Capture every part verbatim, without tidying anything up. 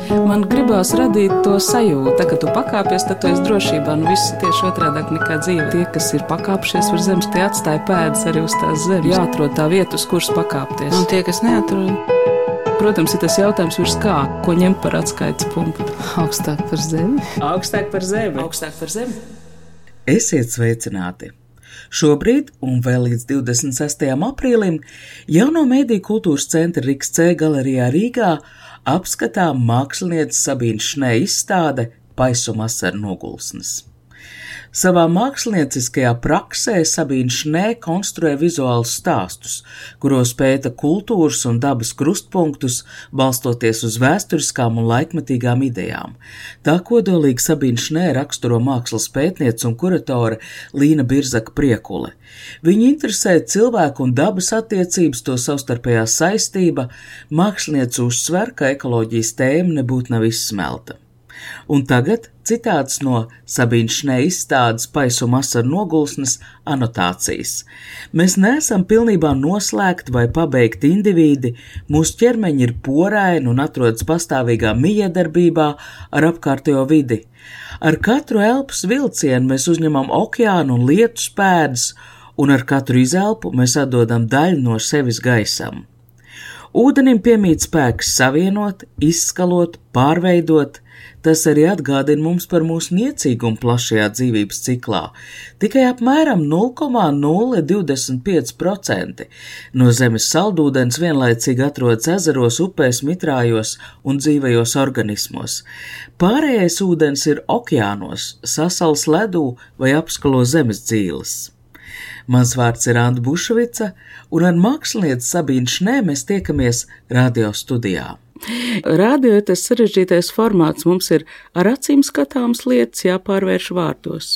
Man gribās radīt to sajūtu, tā, ka tu pakāpies, tad tu esi drošībā. Nu, viss tieši otrādāk nekā dzīve. Tie, kas ir pakāpšies uz zemes, tie atstāja pēdas arī uz tās zemes. Jāatrod tā vieta, uz kuras pakāpties. Un tie, kas neatrod? Protams, ir tas jautājums virs kā, ko ņemt par atskaites punktu. Augstāk par zemi. Augstāk par zemi. Augstāk par zemi. Esiet sveicināti! Šobrīd, un vēl līdz divdesmit sestajam aprīlim, Jauno mediju kultūras centra Riks C galerijā Rīgā apskatām mākslinieces Sabīnas Šnē izstāde Paisuma asaru nogulsnes. Savā mākslinieckajā praksē Sabīna Šnē konstruē vizuālus stāstus, kuros pēta kultūras un dabas krustpunktus, balstoties uz vēsturiskām un laikmetīgām idejām. Tā kodolīgi Sabīna Šnē raksturo mākslas pētniece un kuratore Līna Birzaka Priekule. Viņu interesē cilvēku un dabas attiecības, to savstarpējā saistība, māksliniece uzsver, ka ekoloģijas tēma nebūtu nav izsmelta. Un tagad citāts no Sabīnas Šnē izstādes Paisuma asaru nogulsnes anotācijas. Mēs neesam pilnībā noslēgti vai pabeigti indivīdi, mūsu ķermeņi ir poraini un atrodas pastāvīgā mijiedarbībā ar apkārtējo vidi. Ar katru elpas vilcienu mēs uzņemam okeānu un lietus pēdas, un ar katru izelpu mēs atdodam daļu no sevis gaisam. Ūdenim piemīt spēks savienot, izskalot, pārveidot. Tas arī atgādina mums par mūsu niecīgumu plašajā dzīvības ciklā. Tikai apmēram nulle komats nulle divdesmit pieci procenti no zemes saldūdens vienlaicīgi atrodas ezeros, upēs, mitrājos un dzīvajos organismos. Pārējais ūdens ir okeānos, sasals ledū vai apskalo zemes dzīles. Mans vārds ir Anta Bušvica, un ar mākslinieci Sabīnu Šnē mēs tiekamies radio studijā. Radio ir tas sarežģītais formāts, mums ir ar acīm skatāmas lietas jāpārvērš vārdos.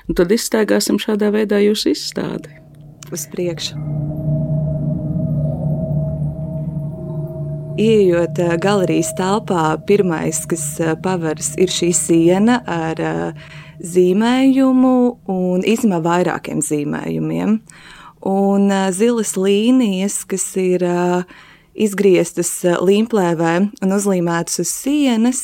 Un tad izstaigāsim šādā veidā jūsu izstādi. Uz priekšu. Ieejot galerijas telpā, pirmais, kas paveras, ir šī siena ar zīmējumu un īstenībā vairākiem zīmējumiem. Un zilas līnijas, kas ir izgrieztas līmplēvē un uzlīmētas uz sienas,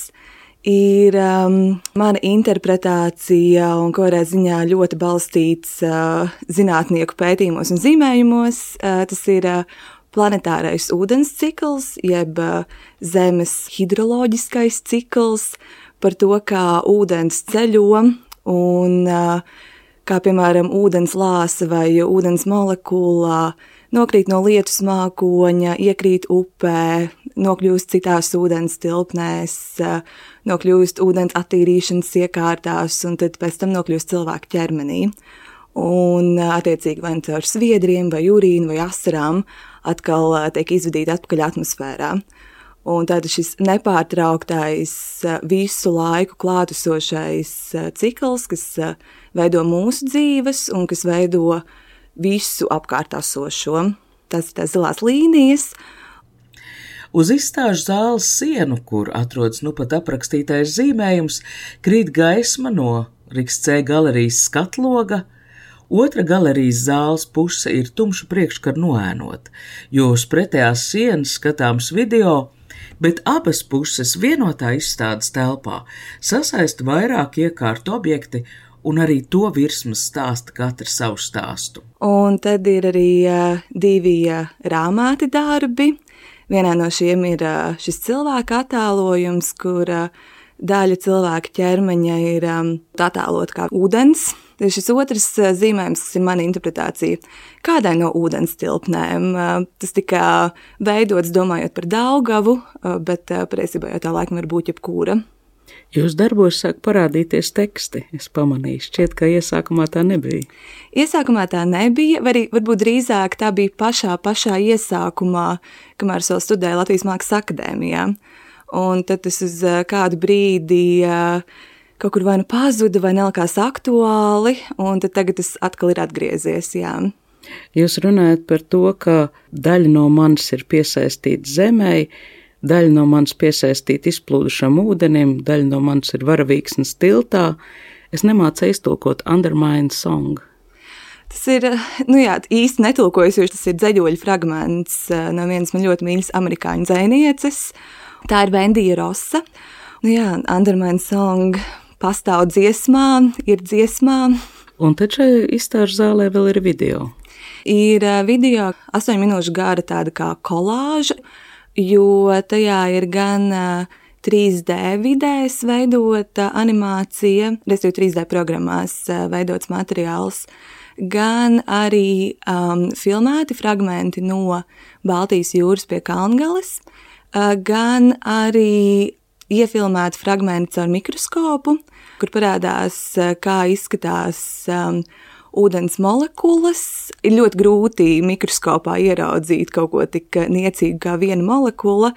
ir um, mana interpretācija un kādā ziņā ļoti balstīts uh, zinātnieku pētījumos un zīmējumos. Uh, tas ir uh, planetārais ūdens cikls, jeb uh, zemes hidroloģiskais cikls, par to, kā ūdens ceļo un uh, kā, piemēram, ūdens lāsa vai ūdens molekula nokrīt no lietus mākoņa, iekrīt upē, nokļūst citās ūdens tilpnēs, nokļūst ūdens attīrīšanas iekārtās un tad pēc tam nokļūst cilvēku ķermenī. Un, attiecīgi, vai caur sviedriem, vai urīnu, vai asarām atkal tiek izvadīti atpakaļ atmosfērā. Un tātad šis nepārtrauktais, visu laiku klātesošais cikls, kas veido mūsu dzīves un kas veido visu apkārtāsošo. Tas ir tās zilās līnijas. Uz izstāžu zāles sienu, kur atrodas nu pat aprakstītais zīmējums, krīt gaisma no Riks C galerijas skatloga. Otra galerijas zāles puse ir tumša priekškara noēnota, jo uz pretējās sienas skatāms video, bet abas puses vienotā izstādes telpā sasaista vairāk iekārtu objekti, un arī to virsmas stāsta katra savu stāstu. Un tad ir arī uh, divi uh, rāmāti darbi. Vienā no šiem ir uh, šis cilvēka attēlojums, kur uh, daļa cilvēka ķermeņa ir um, attēlot kā ūdens. Šis otrs uh, zīmējums, kas ir mana interpretācija, kādai no ūdens tilpnēm. Uh, tas tika veidots domājot par Daugavu, uh, bet uh, patiesībā jau tā laikam var būt jebkura. Jūs darbos sāk parādīties teksti, es pamanīju, šķiet, ka iesākumā tā nebija. Iesākumā tā nebija, vai arī varbūt drīzāk tā bija pašā, pašā iesākumā, kamēr es vēl studēju Latvijas Mākslas akadēmijā. Un tad tas uz kādu brīdi kaut kur vai nu pazuda, vai nelikās aktuāli, un tad tagad tas atkal ir atgriezies, jā. Jūs runājat par to, ka daļa no manis ir piesaistīta zemei, daļa no manis piesaistīta izplūdušam ūdenim, daļa no manis ir varavīksnes tiltā. Es nemācu iztulkot Undermine Song. Tas ir, nu jā, īsti netulkojas, jo tas ir dzeļoļu fragments no vienas man ļoti mīļas amerikāņu dzejnieces. Tā ir Vendija Rosa. Nu jā, Undermine Song pastāv dziesmā, ir dziesmā. Un tad šai izstāžu zālē vēl ir video. Ir video astoņu minūšu gara tāda kā kolāža, jo tajā ir gan trīs D vidēs veidota animācija, respektīvi trīs D programmās veidots materiāls, gan arī um, filmēti fragmenti no Baltijas jūras pie Kalngales, uh, gan arī iefilmēti fragmenti caur mikroskopu, kur parādās, uh, kā izskatās um, ūdens molekulas. Ir ļoti grūti mikroskopā ieraudzīt kaut ko tik niecīgu kā viena molekula.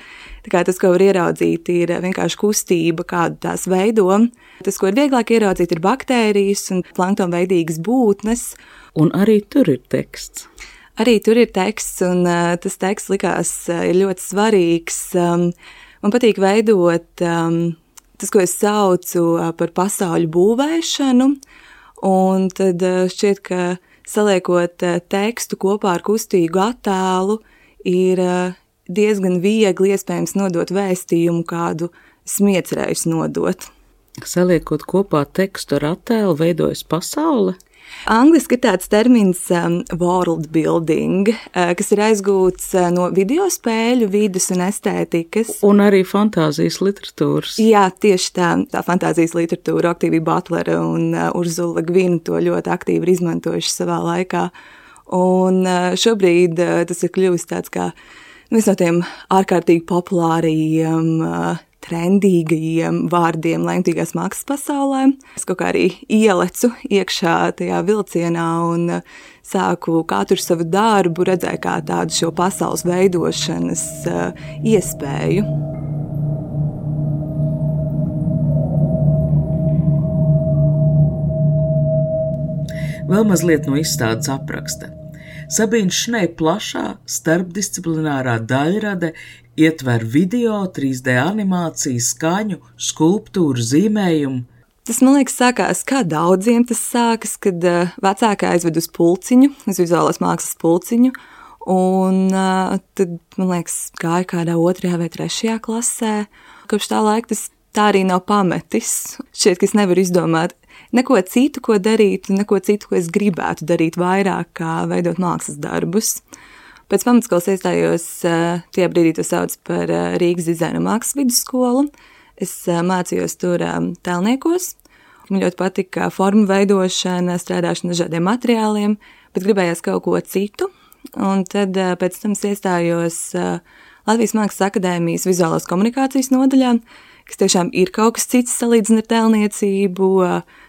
Tā kā tas, ko var ieraudzīt, ir vienkārši kustība, kādu tās veido. Tas, ko ir vieglāk ieraudzīt, ir baktērijas un planktonveidīgas būtnes. Un arī tur ir teksts. Arī tur ir teksts, un uh, tas teksts likās uh, ir ļoti svarīgs. Um, man patīk veidot um, tas, ko es saucu uh, par pasauļu būvēšanu. Un tad šķiet, ka saliekot tekstu kopā ar kustīgu attēlu ir diezgan viegli iespējams nodot vēstījumu, kādu smiecerējus nodot. Saliekot kopā tekstu ar attēlu, veidojas pasaule? Angliski ir tāds termins um, world building, uh, kas ir aizgūts uh, no video spēļu vides un estētikas. Un arī fantāzijas literatūras. Jā, tieši tā, tā fantāzijas literatūra, Octavia Butlere un uh, Urzula Le Guin to ļoti aktīvi ir izmantojuši savā laikā. Un uh, šobrīd uh, tas ir kļuvis tāds kā viens no tiem ārkārtīgi populāriem uh, trendīgajiem vārdiem lemtīgās mākslas pasaulē. Es kaut kā arī ielecu iekšā tajā vilcienā un sāku katru savu darbu redzēt kā tādu šo pasaules veidošanas uh, iespēju. Vēl mazliet no izstādes apraksta. Sabīnas Šnei plašā starpdisciplinārā daļrade ietver video, trīs D animāciju, skaņu, skulptūru, zīmējumu. Tas, man liekas, sākās kā daudziem tas sākas, kad uh, vecākā aizved uz pulciņu, uz vizuālās mākslas pulciņu, un uh, tad, man liekas, gāja kādā otrajā vai trešajā klasē. Kopš tā laika tas tā arī nav pametis. Šķiet, ka es nevaru izdomāt neko citu, ko darīt, neko citu, ko es gribētu darīt vairāk, kā veidot mākslas darbus. Pēc pamatskolas iestājos, tajā brīdī to sauc par Rīgas dizaina mākslas vidusskolu. Es mācījos tur tēlniekos. Man ļoti patika formu veidošana, strādāšana dažādiem materiāliem, bet gribējās kaut ko citu. Un tad pēc tam es iestājos Latvijas Mākslas akadēmijas vizuālās komunikācijas nodaļā, kas tiešām ir kaut kas cits salīdzinot ar tēlniecību.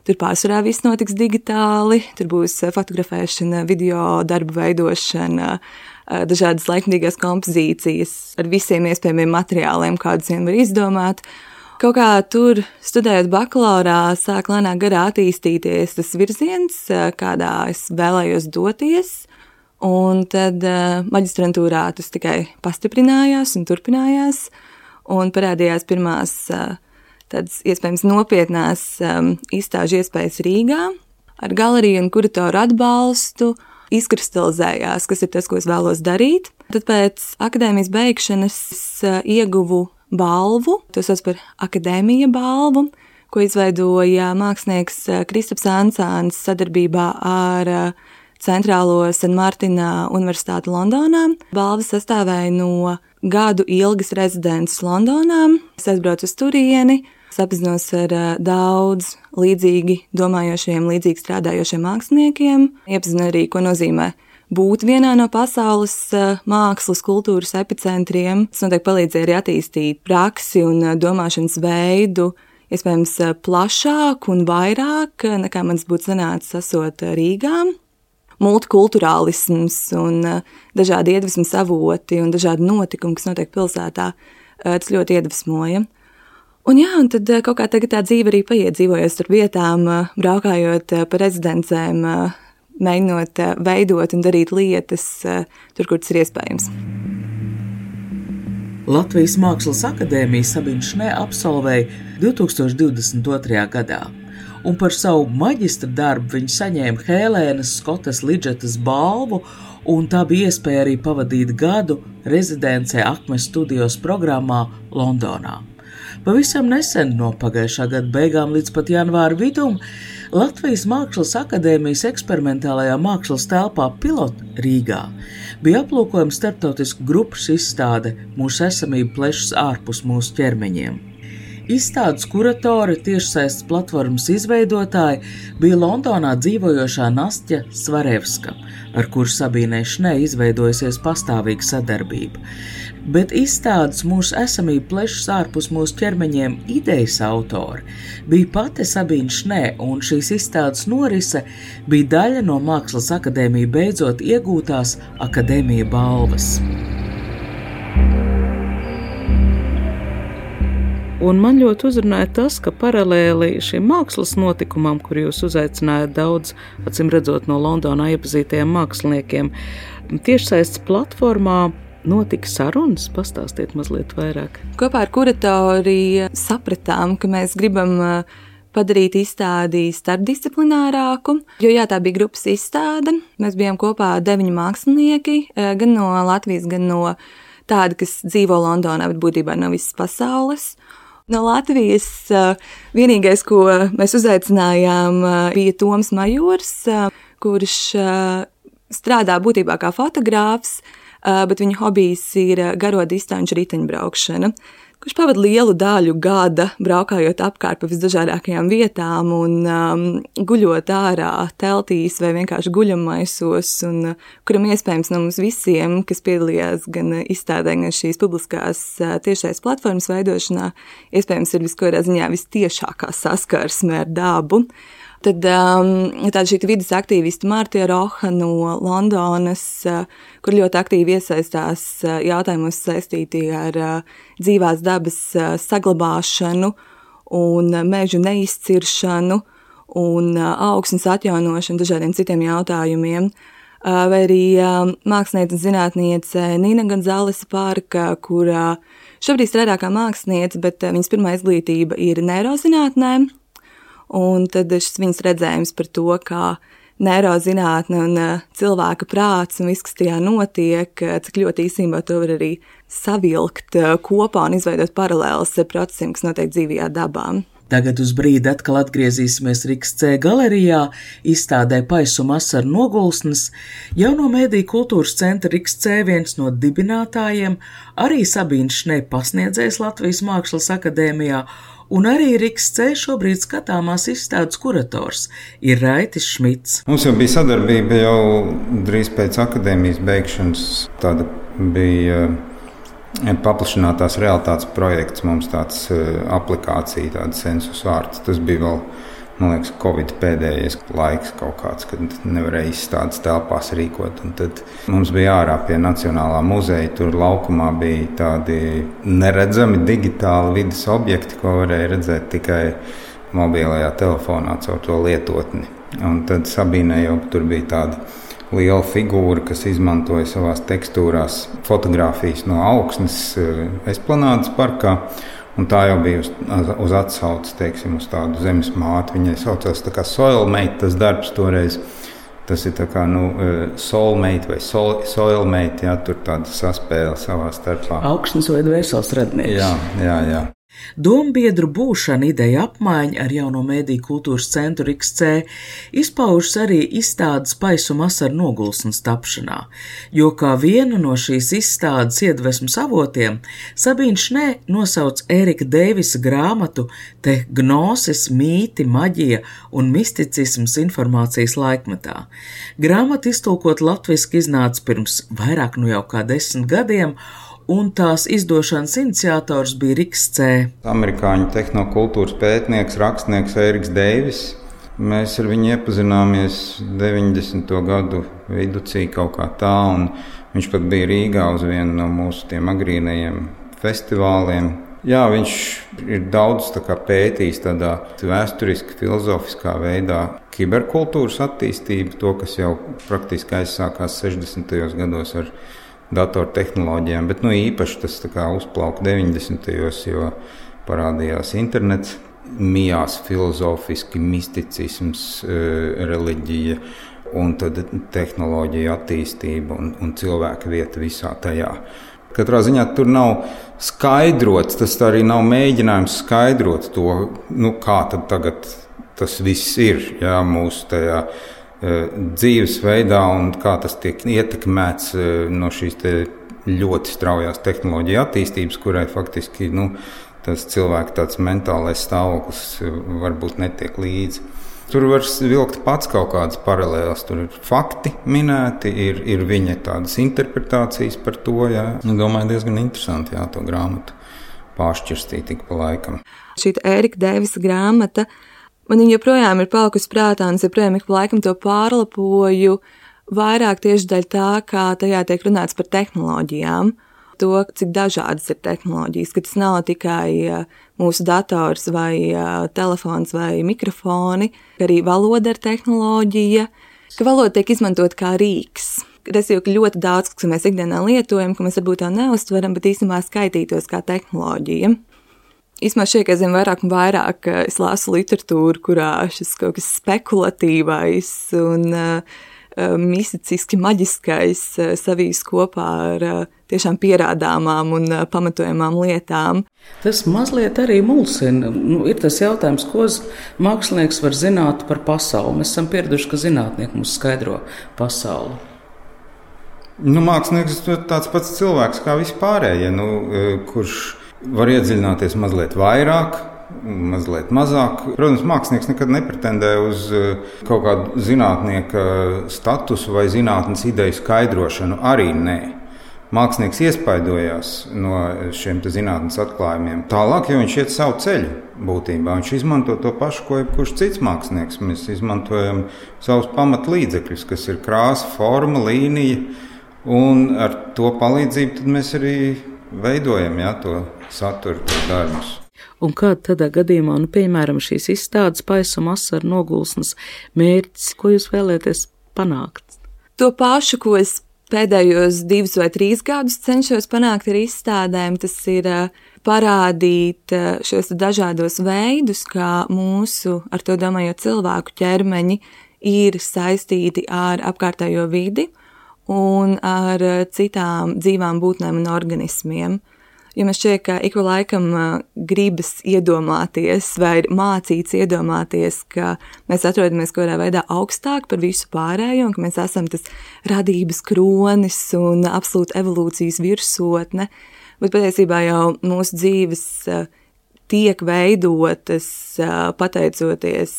Tur pārsvarā viss notiks digitāli, tur būs fotografēšana, video darbu veidošana, dažādas laikmatīgās kompozīcijas ar visiem iespējamiem materiāliem, kādus vien var izdomāt. Kaut kā tur, studējot bakalaurā, sāk lēnāk garā attīstīties tas virziens, kādā es vēlējos doties, un tad maģistrantūrā tas tikai pastiprinājās un turpinājās, un parādījās pirmās tādas iespējams nopietnās izstāžu iespējas Rīgā ar galeriju un kuratoru atbalstu. Izkristalizējās, kas ir tas, ko es vēlos darīt. Tad pēc akadēmijas beigšanas ieguvu balvu, to sauc par akadēmija balvu, ko izveidoja mākslinieks Kristaps Ansāns sadarbībā ar Centrālo San Martina Universitāti Londonā. Balva sastāvēja no gadu ilgas rezidences Londonā. Es aizbraucu uz turieni, sapazinos ar daudz līdzīgi domājošiem, līdzīgi strādājošiem māksliniekiem. Iepazinu arī, ko nozīmē būt vienā no pasaules mākslas, kultūras epicentriem. Tas noteikti palīdzēja arī attīstīt praksi un domāšanas veidu, iespējams plašāk un vairāk, nekā mans būtu sanācis esot Rīgā. Multikulturālisms un dažādi iedvesmas avoti un dažādi notikumi, kas notiek pilsētā, tas ļoti iedvesmoja. Un jā, un tad kaut kā tagad tā dzīve arī paiet, dzīvojot starp vietām, braukājot pa rezidencēm, mēģinot veidot un darīt lietas tur, kur tas ir iespējams. Latvijas Mākslas akadēmija Sabīna Šnei absolvēja divi tūkstoši divdesmit otrajā gadā, un par savu maģistra darbu viņa saņēma Hēlēnas Skotas Lidžetas balvu un tā bija iespēja arī pavadīt gadu rezidencē Akmes studijos programmā Londonā. Pavisam nesen, no pagājušā gada beigām līdz pat janvāra vidum, Latvijas Mākslas akadēmijas eksperimentālajā mākslas telpā Pilot Rīgā bija aplūkojama starptautisku grupas izstāde Mūsu esamība plešas ārpus mūsu ķermeņiem. Izstādes kuratore, tiešsaistes platformas izveidotāja bija Londonā dzīvojošā Nastja Svarevska, ar kuru Sabīnei Šnē izveidojusies pastāvīga sadarbība. Bet izstādes Mūsu esamība plešas ārpus mūsu ķermeņiem idejas autori bija pati Sabīne Šnē, un šīs izstādes norise bija daļa no Mākslas akadēmija beidzot iegūtās akadēmija balvas. Un man ļoti uzrunāja tas, ka paralēli šim mākslas notikumam, kur jūs uzaicinājāt daudz, acīm redzot no Londonā iepazītajiem māksliniekiem, tiešsaistes platformā notika sarunas. Pastāstiet mazliet vairāk. Kopā ar kuratori sapratām, ka mēs gribam padarīt izstādi starpdisciplinārāku, jo jā, tā bija grupas izstāde. Mēs bijām kopā deviņi mākslinieki, gan no Latvijas, gan no tādi, kas dzīvo Londonā, bet būtībā no visas pasaules. No Latvijas vienīgais, ko mēs uzaicinājām, bija Toms Majors, kurš strādā būtībā kā fotogrāfs, bet viņa hobijs ir garo distanču riteņbraukšana, kurš pavada lielu daļu gada braukājot apkārt pa visdažādākajām vietām un um, guļot ārā teltīs vai vienkārši guļammaisos, un uh, kuram iespējams no mums visiem, kas piedalījās gan izstādē, gan šīs publiskās uh, tiešais platformas veidošanā, iespējams ir viskodā ziņā vistiešākā saskarsme ar dabu. Tad um, tāda šī vidas aktīvista Mārtija Roha no Londonas, uh, kur ļoti aktīvi iesaistās uh, jautājumos saistīti ar uh, dzīvās dabas uh, saglabāšanu un uh, mežu neizciršanu un uh, augsnes atjaunošanu, dažādiem citiem jautājumiem. Uh, vai arī uh, māksliniece un zinātniece Nina Gonzalesa Parka, kur uh, šobrīd strādā kā māksliniece, bet uh, viņas pirmā izglītība ir neirozinātnē. Un tad šis viņas redzējums par to, kā neirozinātne un cilvēka prāts un viss, kas tajā notiek, cik ļoti īstenībā to var arī savilkt kopā un izveidot paralēlas procesiem, kas notiek dzīvajā dabā. Tagad uz brīdi atkal atgriezīsimies Riks C galerijā, izstādē Paisuma asaru nogulsnes. Jauno mēdīju kultūras centra Riks C viens no dibinātājiem, arī Sabīne Šnē pasniedzējs Latvijas Mākslas akadēmijā, un arī Riks C šobrīd skatāmās izstādes kurators ir Raitis Šmits. Mums jau bija sadarbība jau drīz pēc akadēmijas beigšanas. Tāda bija paplašinātās realitātes projekts, mums tāds aplikācija, tāda sensus ārts. Tas bija vēl, man liekas, Covid pēdējais laiks kaut kāds, kad nevarēja izstādes telpās rīkot. Un tad mums bija ārā pie Nacionālā muzeja, tur laukumā bija tādi neredzami digitāli vidas objekti, ko varēja redzēt tikai mobilajā telefonā caur to lietotni. Un tad Sabīnē jau tur bija tāda liela figūra, kas izmantoja savās tekstūrās fotogrāfijas no augsnes Esplanādes parkā. Un tā jau bija uz, uz atsauces, teiksim, uz tādu zemes māti. Viņai saucās tā kā Soilmate, tas darbs toreiz. Tas ir tā kā, nu, soulmate vai soil, soilmate, jā, tur tāda saspēle savā starpā. Augsnes vai dvēseles radnieks. Jā, jā, jā. Dombiedru būšana, ideja apmaiņa ar jauno mēdīju kultūras centru Riks C izpaužas arī izstādes Paisuma asaru nogulsnes tapšanā, jo kā vienu no šīs izstādes iedvesmas avotiem Sabīne Šnē nosauc Ērika Deivisa grāmatu Te gnosis, mīti, maģija un misticisms informācijas laikmetā. Grāmata iztulkot latviski iznāca pirms vairāk nu jau kā desmit gadiem, un tās izdošanas iniciators bija Riks C. Amerikāņu tehnokultūras pētnieks, rakstnieks Ēriks Deivis. Mēs ar viņu iepazināmies deviņdesmito gadu viducī kaut kā tā, un viņš pat bija Rīgā uz vienu no mūsu tiem agrīnajiem festivāliem. Jā, viņš ir daudz tā kā pētījis tādā vēsturiski, filozofiskā veidā kiberkultūras attīstību, to, kas jau praktiski aizsākās sešdesmitajos gados ar datortehnoloģijām, bet nu, īpaši tas tā kā uzplauka deviņdesmitajos, jo parādījās internets, mijās filozofiski, misticisms, reliģija un tad tehnoloģija attīstība un, un cilvēka vieta visā tajā. Katrā ziņā tur nav skaidrots, tas arī nav mēģinājums skaidrot to, nu, kā tad tagad tas viss ir, jā, mūsu tajā dzīvesveidā un kā tas tiek ietekmēts no šīs te ļoti straujās tehnoloģija attīstības, kurai faktiski nu, tas cilvēka tāds mentālais stāvoklis varbūt netiek līdzi. Tur var vilkt pats kaut kādas paralēlas, tur ir fakti minēti, ir, ir viņa tādas interpretācijas par to. Jā. Nu, domāju, diezgan interesanti jā, to grāmatu pāršķirstīt tik pa laikam. Šī Ērika Deivisa grāmata, man viņa joprojām ir palikusi prātā, un es joprojām ik pa laikam to pārlapoju, vairāk tieši dēļ tā, kā tajā tiek runāts par tehnoloģijām, to, cik dažādas ir tehnoloģijas, ka tas nav tikai mūsu dators vai telefons vai mikrofoni, ka arī valoda ir tehnoloģija, ka valoda tiek izmantot kā rīks. Tas jau ļoti daudz, kas mēs ikdienā lietojam, ka mēs varbūt tā neuztveram, bet īstenībā skaitītos kā tehnoloģija. Īsmā šeit, ka es zinu vairāk un vairāk, es lasu literatūru, kurā šis kaut kas spekulatīvais un uh, mistiski maģiskais uh, savīs kopā ar uh, tiešām pierādāmām un uh, pamatojamām lietām. Tas mazliet arī mulsina. Nu, ir tas jautājums, ko mākslinieks var zināt par pasauli. Mēs esam pieraduši, ka zinātnieki mums skaidro pasauli. Nu, mākslinieks ir tāds pats cilvēks kā vispārējie, nu, kurš var iedziļināties mazliet vairāk, mazliet mazāk. Protams, mākslinieks nekad nepretendē uz kaut kādu zinātnieka statusu vai zinātnes ideju skaidrošanu. Arī nē. Mākslinieks iespaidojās no šiem zinātnes atklājumiem. Tālāk, ja viņš iet savu ceļu būtībā, viņš izmanto to pašu, ko jebkurš cits mākslinieks. Mēs izmantojam savus pamatlīdzekļus, kas ir krāsa, forma, līnija, un ar to palīdzību tad mēs arī veidojam jā, to saturu, to darbus. Un kāda tādā gadījumā, nu, piemēram, šīs izstādes Paisuma asaru nogulsnes mērķis, ko jūs vēlēties panākt? To pašu, ko es pēdējos divus vai trīs gadus cenšos panākt ar izstādēm, tas ir parādīt šos dažādos veidus, kā mūsu, ar to domājot cilvēku ķermeņi, ir saistīti ar apkārtējo vidi un ar citām dzīvām būtnēm un organismiem. Jo man šķiet, ka ik pa laikam gribas iedomāties vai mācīts iedomāties, ka mēs atrodamies kaut kādā veidā augstāk par visu pārējo un ka mēs esam tas radības kronis un absolūta evolūcijas virsotne, bet patiesībā jau mūsu dzīves tiek veidotas pateicoties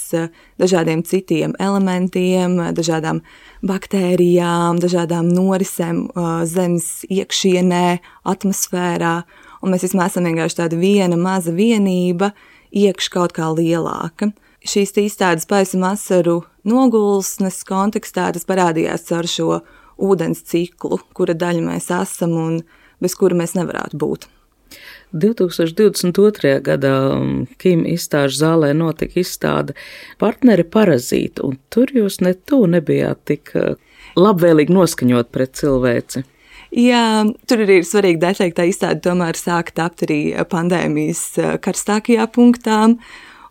dažādiem citiem elementiem, dažādām baktērijām, dažādām norisēm zemes iekšienē, atmosfērā, un mēs vismaz esam vienkārši tāda viena maza vienība iekš kaut kā lielāka. Šīs izstādes Paisuma asaru nogulsnes kontekstā tas parādījās caur šo ūdens ciklu, kura daļa mēs esam un bez kura mēs nevarētu būt. divtūkstoš divdesmit otrajā gadā Kim izstāžu zālē notika izstāde Partneri parazīti, un tur jūs ne tu nebijāt tik labvēlīgi noskaņot pret cilvēci. Jā, tur arī ir svarīgi detaļi, ka tā izstāde tomēr sāka tapt arī pandēmijas karstākajā punktā,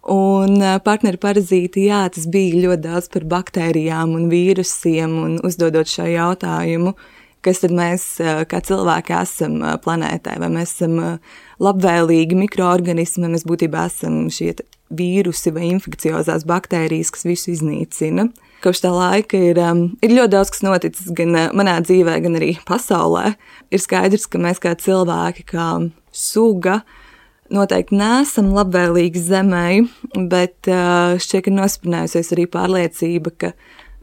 un Partneri parazīti, jā, tas bija ļoti daudz par baktērijām un vīrusiem, un uzdodot šo jautājumu, kas tad mēs kā cilvēki esam planētā, vai mēs esam labvēlīgi mikroorganismi, vai mēs būtībā esam šie vīrusi vai infekciozās baktērijas, kas visu iznīcina. Kopš tā laika ir, ir ļoti daudz, kas noticis gan manā dzīvē, gan arī pasaulē. Ir skaidrs, ka mēs kā cilvēki, kā suga, noteikti neesam labvēlīgi zemei, bet šķiet, ka nosprinējusies arī pārliecība, ka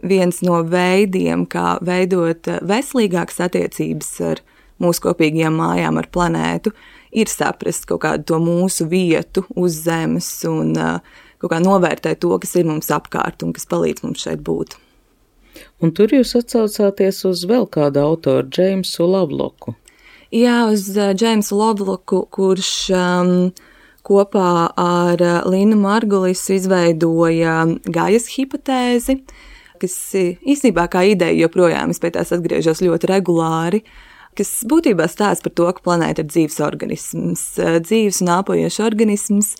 viens no veidiem, kā veidot veselīgākas attiecības ar mūsu kopīgajām mājām, ar planētu, ir saprast kaut kādu to mūsu vietu uz zemes un kaut kā novērtēt to, kas ir mums apkārt un kas palīdz mums šeit būt. Un tur jūs atsaucāties uz vēl kādu autoru, Džeimsu Loveloku. Jā, uz Džeimsu Loveloku, kurš um, kopā ar Linu Margulisu izveidoja Gajas hipotēzi, kas īstenībā kā ideja joprojām, es pie tās atgriežos ļoti regulāri, kas būtībā stāsta par to, ka planēta ir dzīves organisms, dzīves un āpojošs organisms,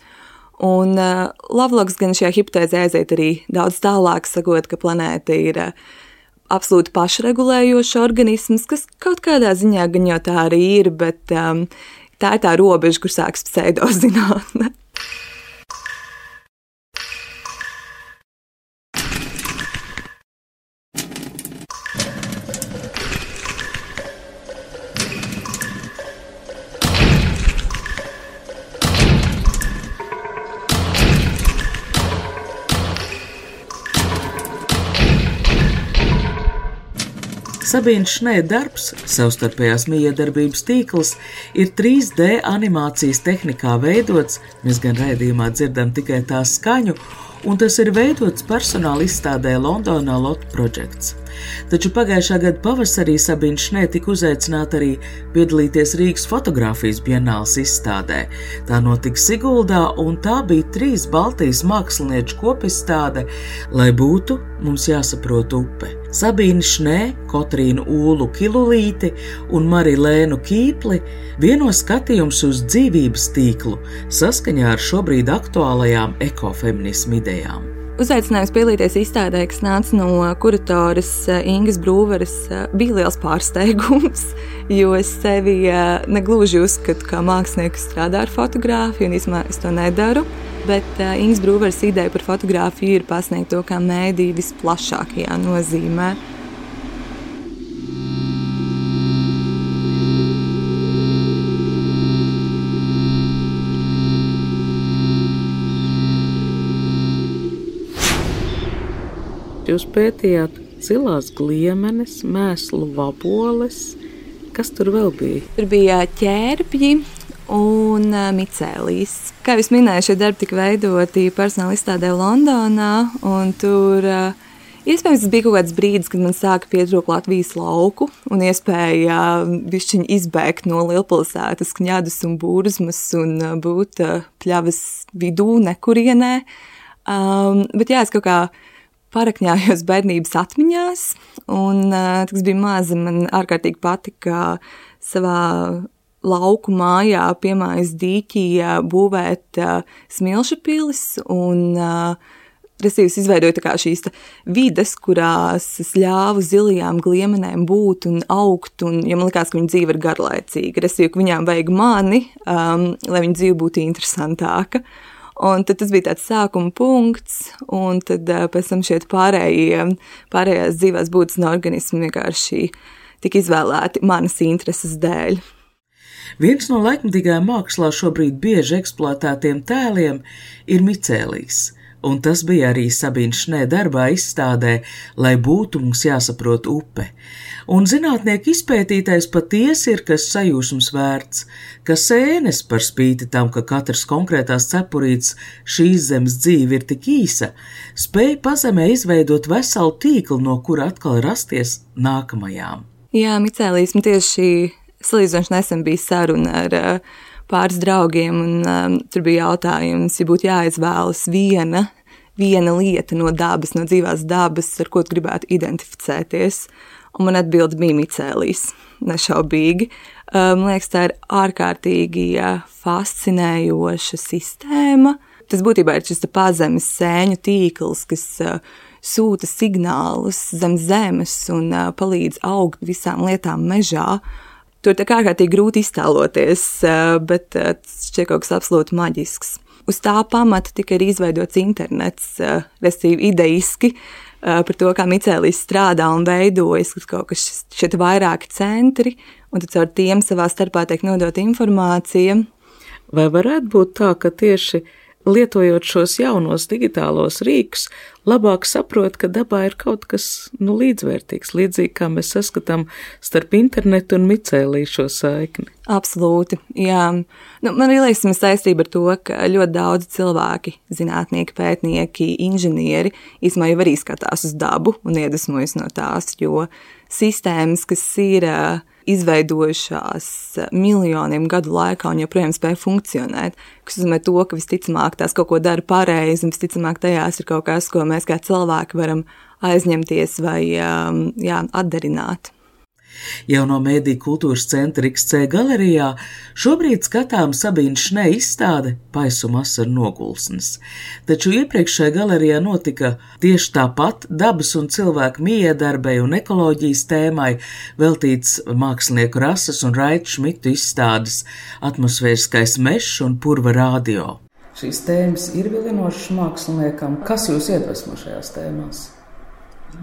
un uh, Loveloks gan šajā hipotēzē aiziet arī daudz tālāk, sakot, ka planēta ir uh, absolūti pašregulējošs organisms, kas kaut kādā ziņā gan jau tā arī ir, bet um, tā ir tā robeža, kur sākas pseidozinātne. Sabīnas Šnē darbs, savstarpējās mijiedarbības tīkls, ir trīs D animācijas tehnikā veidots, mēs gan raidījumā dzirdam tikai tā skaņu, un tas ir veidots personāla izstādē Londonā Lot Projects. Taču pagājušā gada pavasarī Sabīna Šnē tika uzaicināta arī piedalīties Rīgas fotogrāfijas bienāles izstādē. Tā notika Siguldā, un tā bija trīs Baltijas mākslinieču kopizstāde, lai būtu mums jāsaprot upe. Sabīna Šnē, Kotrīnu Ūlu Kilulīti un Marilēnu Kīpli vieno skatījums uz dzīvības tīklu saskaņā ar šobrīd aktuālajām ekofeminismu idejām. Uzaicinājums piedalīties izstādē, kas nāca no kuratoras Ingas Brūveres, bija liels pārsteigums, jo es sevi negluži uzskatu, kā mākslinieku strādā ar fotogrāfiju, un īstenībā es to nedaru, bet Ingas Brūveres ideja par fotogrāfiju ir pasniegt to kā mēdī visplašākajā nozīmē. Jūs pētījāt zilās gliemenes, mēslu vaboles, kas tur vēl bija? Tur bija ķērbji un micēlijas. Kā jūs minēju, šie darbi tika veidoti personāla izstādē Londonā, un tur iespējams tas bija kaut kāds brīdis, kad man sāka pietrūkt Latvijas lauku un iespēja bišķiņ izbēgt no lielpilsētas kņadus un burzmas un būt pļavas vidū nekurienē. Um, bet jā, es kaut kā parakņājos bērnības atmiņās, un, kad es biju maza, man ārkārtīgi patika savā lauku mājā piemājas dīķī būvēt smilšu pilis, un restīvi izveidoju tā kā šīs vides, kurās es ļāvu zilajām gliemenēm būt un augt, un ja man likās, ka viņa dzīve ir garlaicīga, restīvi, ka viņām vajag mani, um, lai viņa dzīve būtu interesantāka. Un tad tas bija tāds sākuma punkts, un tad pēc tam šeit pārējie, pārējās dzīvās būtnes un organismi vienkārši tika izvēlēti manas intereses dēļ. Viens no laikmatīgajā mākslā šobrīd bieži eksploatētiem tēliem ir micēlijs, un tas bija arī Sabīnas Šnē darbā izstādē, lai būtu mums jāsaprot upe. Un zinātnieki izpētītais patiesi ir kas sajūsmas vērts, ka sēnes par spīti tam, ka katrs konkrētās cepurītes šīs zemes dzīve ir tik īsa, spēj pazemē izveidot veselu tīklu, no kura atkal rasties nākamajām. Jā, micēlijas, man tieši salīdzinoši nesen bija saruna ar uh, pāris draugiem, un um, tur bija jautājums, ja būtu jāizvēlas viena, viena lieta no dabas, no dzīvās dabas, ar ko tu gribētu identificēties. Un man atbilde bija micēlijas, nešaubīgi. Man liekas, tā ir ārkārtīgi fascinējoša sistēma. Tas būtībā ir šis pazemes sēņu tīkls, kas sūta signālus zem zemes un palīdz augt visām lietām mežā. Tur tā kā ārkārtīgi grūti iztēloties, bet tas šķiet kaut kas absolūti maģisks. Uz tā pamata tika arī izveidots internets, respektīvi ideiski, par to, kā micēlijas strādā un veidojas, ka kaut kas šeit vairāki centri, un tad caur tiem savā starpā tiek nodot informācija. Vai varētu būt tā, ka tieši lietojot šos jaunos digitālos rīkus, labāk saprot, ka dabā ir kaut kas nu, līdzvērtīgs, līdzīgi kā mēs saskatām starp internetu un micēliju šo saikni? Absolūti, jā. Nu, man arī liekas, mēs saistība ar to, ka ļoti daudz cilvēki, zinātnieki, pētnieki, inženieri, īsumā jau arī skatās uz dabu un iedvesmojas no tās, jo sistēmas, kas ir izveidojušās miljoniem gadu laikā un joprojām spēj funkcionēt, kas uzmē to, ka visticamāk tās kaut ko dara pareizi un visticamāk tajās ir kaut kas, ko mēs kā cilvēki varam aizņemties vai jā, atdarināt. Jauno mēdīju kultūras centra X C galerijā šobrīd skatām Sabīnas Šnē izstāde Paisuma asaru nogulsnes. Taču iepriekš šajā galerijā notika tieši tāpat dabas un cilvēku miedarbai un ekoloģijas tēmai veltīts mākslinieku Rasas un Raita Šmitu izstādes Atmosfēriskais mežs un Purva radio. Šīs tēmas ir vilinošas māksliniekam. Kas jūs iedvesmo šajās tēmās?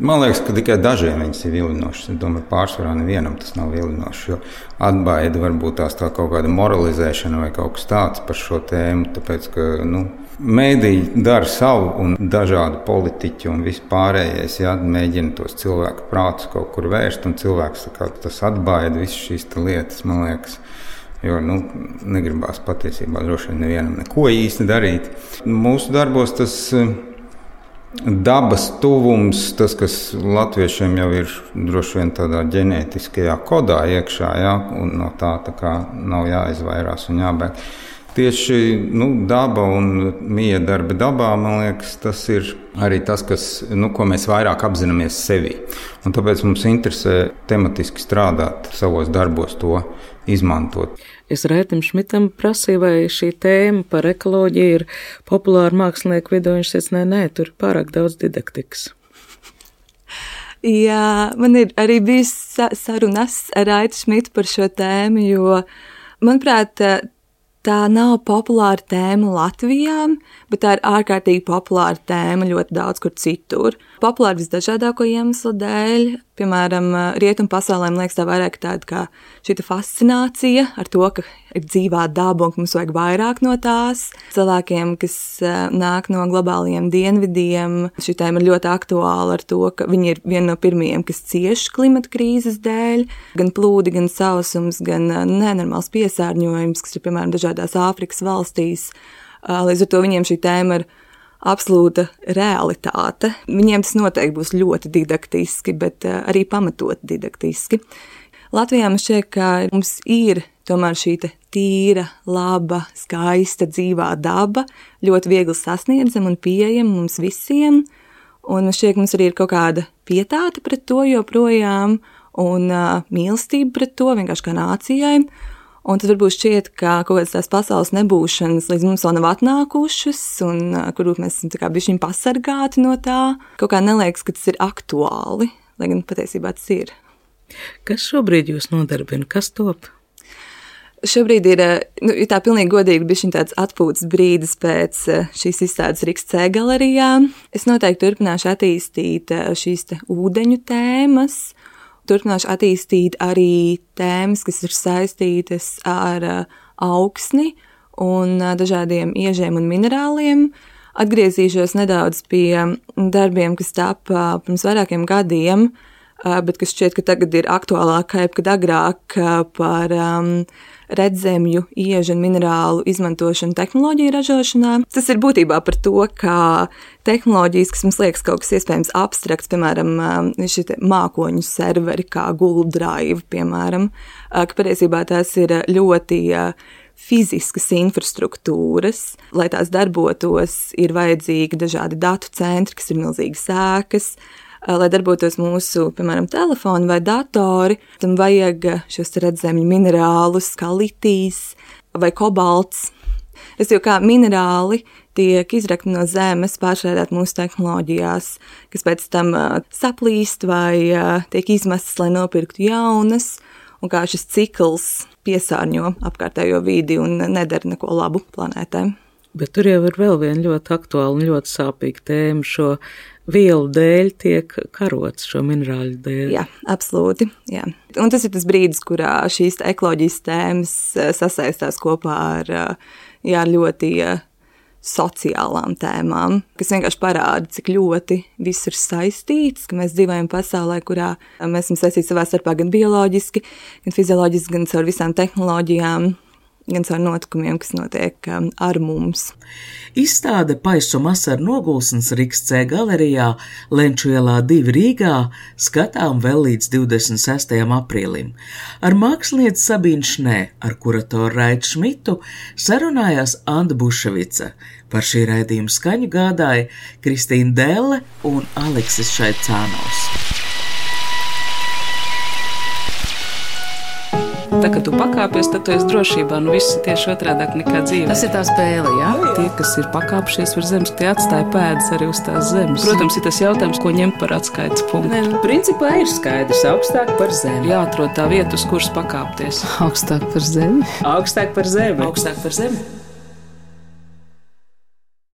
Man liekas, ka tikai dažiem viņas ir vilinošas. Es domāju, pārsvarā nevienam tas nav vilinošs, jo atbaida varbūt tās tā kaut kāda moralizēšana vai kaut kas tāds par šo tēmu, tāpēc, ka, nu, mēdīji dara savu un dažādi politiķi un vispārējais, jā, mēģina tos cilvēku prātus kaut kur vērst, un cilvēks tā kā tas atbaida visas šīs lietas, man liekas, jo, nu, negribās patiesībā droši vien nevienam neko īsti darīt. Mūsu darbos tas dabas tuvums, tas, kas latviešiem jau ir droši vien tādā ģenētiskajā kodā iekšā, jā, un no tā, tā kā nav jāizvairās un jābēg. Tieši, nu, daba un miedarbi dabā, man liekas, tas ir arī tas, kas, nu, ko mēs vairāk apzināmies sevī. Un tāpēc mums interesē tematiski strādāt savos darbos, to izmantot. Es Raitam Šmitam prasīju, vai šī tēma par ekoloģiju ir populāra mākslinieku vidū. Viņš teica, nē, nē, tur ir pārāk daudz didaktikas. Jā, man ir arī bijis sarunas ar Raitu Šmitu par šo tēmu, jo, manuprāt, tā nav populāra tēma Latvijā, bet tā ir ārkārtīgi populāra tēma ļoti daudz kur citur. Populāra visdažādāko iemeslu dēļ, piemēram, rietumu pasaulē, man liekas, tā vairāk tāda kā šita fascinācija ar to, ka ir dzīvā daba un ka mums vajag vairāk no tās. Cilvēkiem, kas nāk no globālajiem dienvidiem, šī tēma ir ļoti aktuāla ar to, ka viņi ir viena no pirmajiem, kas cieš klimata krīzes dēļ, gan plūdi, gan sausums, gan nenormāls piesārņojums, kas ir, piemēram, dažādās Āfrikas valstīs. Līdz ar to viņiem šī tēma ir absolūta realitāte. Viņiem tas noteikti būs ļoti didaktiski, bet arī pamatot didaktiski. Latvijā man šķiet, ka mums ir tomēr šī tīra, laba, skaista, dzīvā daba, ļoti viegli sasniedzama un pieejama mums visiem. Un man šķiet, ka mums arī ir kaut kāda pietāte pret to joprojām un uh, mīlestība pret to vienkārši kā nācijai. Un tad varbūt šķiet, ka kaut kādas tās pasaules nebūšanas līdz mums vēl nav atnākušas, un uh, kurbūt mēs esam tā kā bišķiņ pasargāti no tā. Kaut kā neliekas, ka tas ir aktuāli, lai gan patiesībā tas ir. Kas šobrīd jūs nodarbina? Kas top? Šobrīd ir, nu, tā pilnīgi godīgi bišķiņ tāds atpūtas brīdis pēc šīs izstādes X C galerijā. Es noteikti turpināšu attīstīt šīs te ūdeņu tēmas, turpināšu attīstīt arī tēmas, kas ir saistītas ar augsni un dažādiem iežiem un minerāliem. Atgriezīšos nedaudz pie darbiem, kas tapa pirms vairākiem gadiem, bet kas šķiet, ka tagad ir aktuālāk kā jebkad agrāk par um, redzemju, iežu un minerālu izmantošanu tehnoloģiju ražošanā. Tas ir būtībā par to, kā tehnoloģijas, kas mums liekas kaut kas iespējams abstrakts, piemēram, šie mākoņu serveri kā Google Drive, piemēram, ka patiesībā tās ir ļoti fiziskas infrastruktūras. Lai tās darbotos, ir vajadzīgi dažādi datu centri, kas ir milzīgas ēkas. Lai darbotos mūsu, piemēram, telefoni vai datori, tam vajag šos redzemju minerālus, kā litijs vai kobalts. Es jau kā minerāli tiek izrakti no zemes, pārstrādāt mūsu tehnoloģijās, kas pēc tam uh, saplīst vai uh, tiek izmestas, lai nopirktu jaunas, un kā šis cikls piesārņo apkārtējo vidi un nedara neko labu planētē. Bet tur jau ir vēl viena ļoti aktuāla un ļoti sāpīga tēma. Šo vielu dēļ tiek karots, šo minerāļu dēļ. Jā, absolūti. Jā. Un tas ir tas brīdis, kurā šīs ekoloģijas tēmas sasaistās kopā ar jā, ļoti sociālām tēmām, kas vienkārši parāda, cik ļoti viss ir saistīts, ka mēs dzīvojam pasaulē, kurā mēs esam saistīti savā starpā gan bioloģiski, gan fizioloģiski, gan caur visām tehnoloģijām, gan caur notikumiem, kas notiek um, ar mums. Izstāde Paisuma asaru nogulsnes X C galerijā Lenču ielā divi Rīgā skatām vēl līdz divdesmit sestajam aprīlim. Ar mākslinieci Sabīnu Šnē, ar kuratoru Raitu Šmitu sarunājās Anda Buševica. Par šī raidījuma skaņu gādāja Kristīna Delle un Aleksis Šaicānovs. tā, kad tu pakāpies, tad tu esi drošībā. Nu, viss ir tieši otrādāk nekā dzīvē. Tas ir tā spēle, jā? Tie, kas ir pakāpšies par zemes, tie atstāja pēdas arī uz tās zemes. Protams, ir tas jautājums, ko ņemt par atskaites punktu. Ne, principā ir skaidrs, augstāk par zemi. Jāatrod tā vieta, uz kuras pakāpties. Augstāk par zemi. Augstāk par zemi. Augstāk par zemi.